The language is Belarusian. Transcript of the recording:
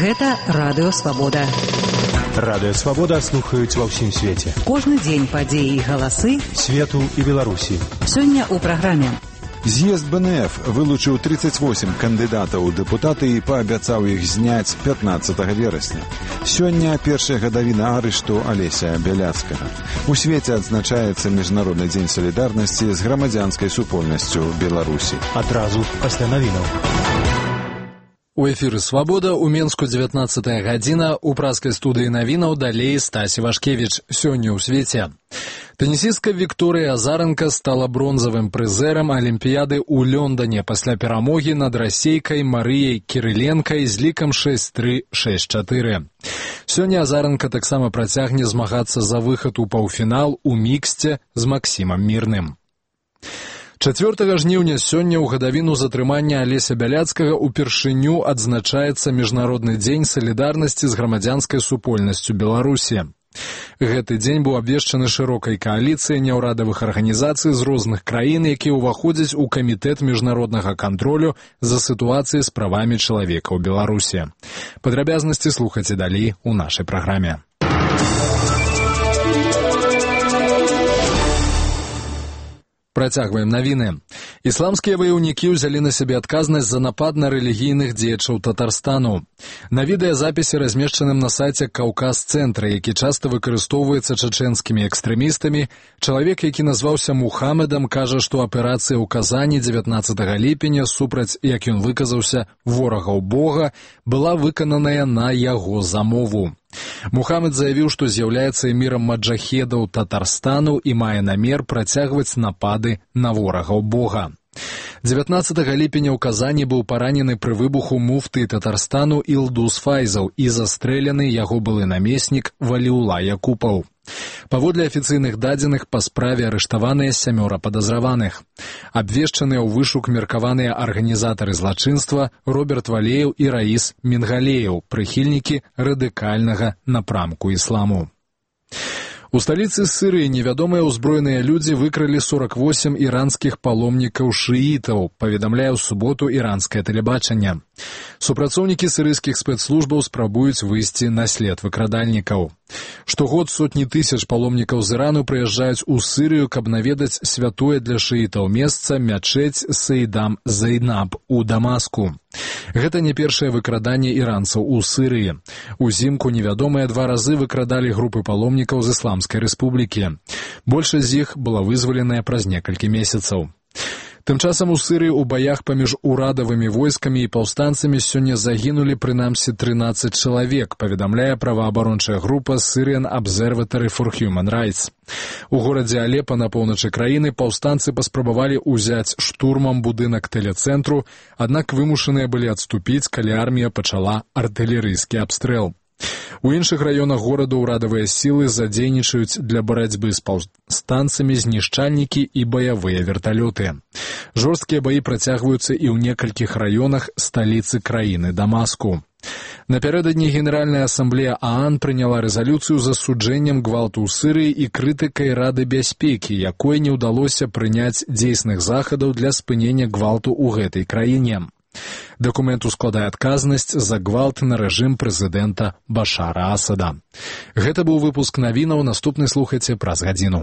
Гэта Радыё Свабода. Радыё Свабода слухаюць ва ўсім свеце. Кожны дзень падзеі і галасы свету і Беларусі. Сёння ў праграме. З'езд БНФ вылучыў 38 кандыдатаў у дэпутаты і паабяцаў іх зняць 15 верасня. Сёння першая гадавіна арышту Алеся Бяляцкага. У свеце адзначаецца Міжнародны дзень салідарнасці з грамадзянскай супольнасцю Беларусі. Адразу пасля навінаў. У эфіры «Свабода» у Менску 19 гадзіна, у праскай студыі навінаў далей Стасі Вашкевіч. Сёння ў свеце. Тэнісістка Вікторыя Азаранка стала бронзавым прызэрам Алімпіяды ў Лондане пасля перамогі над расейкай Марыяй Кірыленкай з лікам 6-3, 6-4. Сёння Азаранка таксама працягне змагацца за выхад у паўфінал у міксце з Максімам Мірным. 4 жніўня сёння ў гадавіну затрымання Алеся Бяляцкага упершыню адзначаецца Міжнародны дзень салідарнасці з грамадзянскай супольнасцю Беларусі. Гэты дзень быў абвешчаны шырокай кааліцыяй няўрадавых арганізацый з розных краін, якія ўваходзяць у камітэт міжнароднага кантролю за сітуацыяй з правамі чалавека ў Беларусі. Падрабязнасці слухайце далей у нашай праграме. Працягваем навіны. Ісламскія ваяўнікі ўзялі на сябе адказнасць за напад на рэлігійных дзеячаў Татарстану. На відэазапісе, размешчаным на сайце Каўказ-цэнтра, які часта выкарыстоўваецца чачэнскімі экстрэмістамі, чалавек, які назваўся Мухаммедам, кажа, што аперацыя ў Казані 19 ліпеня супраць, як ён выказаўся, ворагаў Бога, была выкананая на яго замову. Мухаммед заявіў, што з'яўляецца эмірам маджахедаў Татарстану і мае намер працягваць напады на ворагаў Бога. 19 ліпеня ў Казані быў паранены пры выбуху муфты Татарстану Ілдус Файзаў і застрэлены яго былы намеснік Валіула Якупаў. Паводле афіцыйных дадзеных, па справе арыштаваныя 7 падазраваных. Абвешчаныя ў вышук меркаваныя арганізатары злачынства Роберт Валеев і Раіс Мінгалеев, прыхільнікі радыкальнага напрамку ісламу. У сталіцы Сырыі невядомыя ўзброеныя людзі выкралі 48 іранскіх паломнікаў шыітаў, паведамляе ў суботу іранскае тэлебачанне. Супрацоўнікі сырыйскіх спецслужбаў спрабуюць выйсці на след выкрадальнікаў. Штогод сотні тысяч паломнікаў з Ірану прыязджаюць у Сырыю, каб наведаць святое для шыітаў месца мячэць Сейдам Зайнаб у Дамаску. Гэта не першае выкраданне іранцаў у Сырыі. Узімку невядомыя 2 разы выкрадалі групы паломнікаў з Ісламскай рэспублікі. Большасць з іх была вызваленая праз некалькі месяцаў. Тым часам у Сырыі ў баях паміж урадавымі войскамі і паўстанцамі сёння загінулі прынамсі 13 чалавек, паведамляе праваабарончая група Syrian Observatory for Human Rights. У горадзе Алепа на поўначы краіны паўстанцы паспрабавалі ўзяць штурмам будынак тэлецэнтру, аднак вымушаныя былі адступіць, калі армія пачала артылерыйскі абстрэл. У іншых раёнах горада ўрадавыя сілы задзейнічаюць для барацьбы з паўстанцамі знішчальнікі і баявыя верталёты. Жорсткія баі працягваюцца і ў некалькіх раёнах сталіцы краіны Дамаску. Напярэдадні Генеральная асамблея ААН прыняла рэзалюцыю з асуджэннем гвалту ў Сырыі і крытыкай Рады бяспекі, якой не ўдалося прыняць дзейсных захадаў для спынення гвалту ў гэтай краіне. Дакумент ускладае адказнасць за гвалт на рэжым прэзідэнта Башара Асада. Гэта быў выпуск навінаў, наступны слухайце праз гадзіну.